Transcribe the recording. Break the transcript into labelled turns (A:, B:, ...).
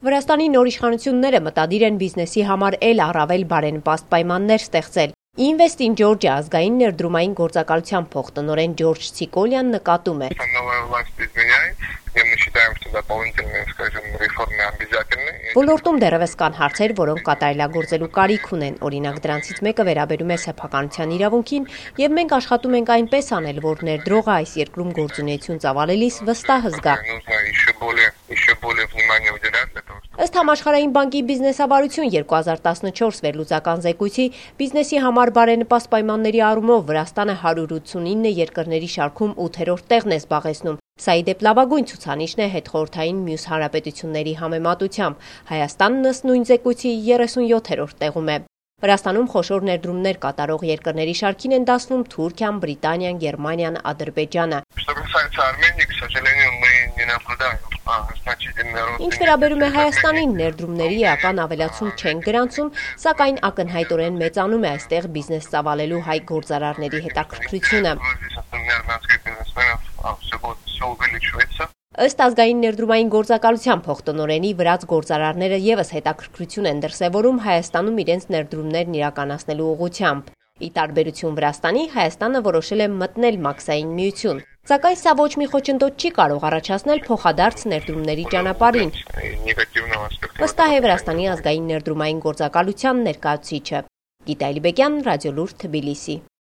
A: Վրաստանի նոր իշխանությունները մտադիր են բիզնեսի համար էլ առավել բարենպաստ պայմաններ ստեղծել։ Invest in Georgia ազգային ներդրումային գործակալության փոխտնօրեն Ջորջ Ցիկոլյան նկատում է. Ոլորտում դեռևս կան հարցեր, որոնք կատարելագործելու կարիք ունեն, օրինակ դրանցից մեկը վերաբերում է սեփականության իրավունքին, եւ մենք աշխատում ենք այնպես անել, որ ներդրողը այս երկրում գործունեություն ծավալելիս վստահ զգա։ Ըստ Համաշխարհային բանկի բիզնեսավարություն 2014 վերլուծական զեկույցի, բիզնեսի համար բարենպաստ պայմանների առումով Վրաստանը 189 երկրների շարքում 8-րդ տեղն է զբաղեցնում։ Սա ի դեպ լավագույն ցուցանիշն է հետխորհրդային մյուս հանրապետությունների համեմատությամբ։ Հայաստանն ըստ նույն զեկույցի 37-րդ տեղում է։ Վրաստանում խոշոր ներդրումներ կատարող երկրների շարքին են դասվում Թուրքիան, Բրիտանիան, Գերմանիան, Ադրբեջանը։ Ինչ վերաբերում է Հայաստանին, ներդրումների էական ավելացում չեն գրանցում, սակայն ակնհայտորեն մեծանում է այստեղ բիզնես ծավալելու հայ գործարարների հետաքրքրությունը։ Ըստ ազգային ներդրումային գործակալության փոխտնօրենի, վրաց գործարարները ևս հետաքրքրություն են դրսևորում Հայաստանում իրենց ներդրումներն իրականացնելու ուղղությամբ։ Ի տարբերություն Վրաստանի, Հայաստանը որոշել է մտնել մաքսային միություն։ Սակայն սա ոչ մի խոչընդոտ չի կարող առաջացնել փոխադարձ ներդրումների ճանապարհին։ Վստահ է Վրաստանի ազգային ներդրումային գործակալության ներկայացուցիչը։ Գիտա Էլիբեկյան, Ռադիոլուր, Թբիլիսի։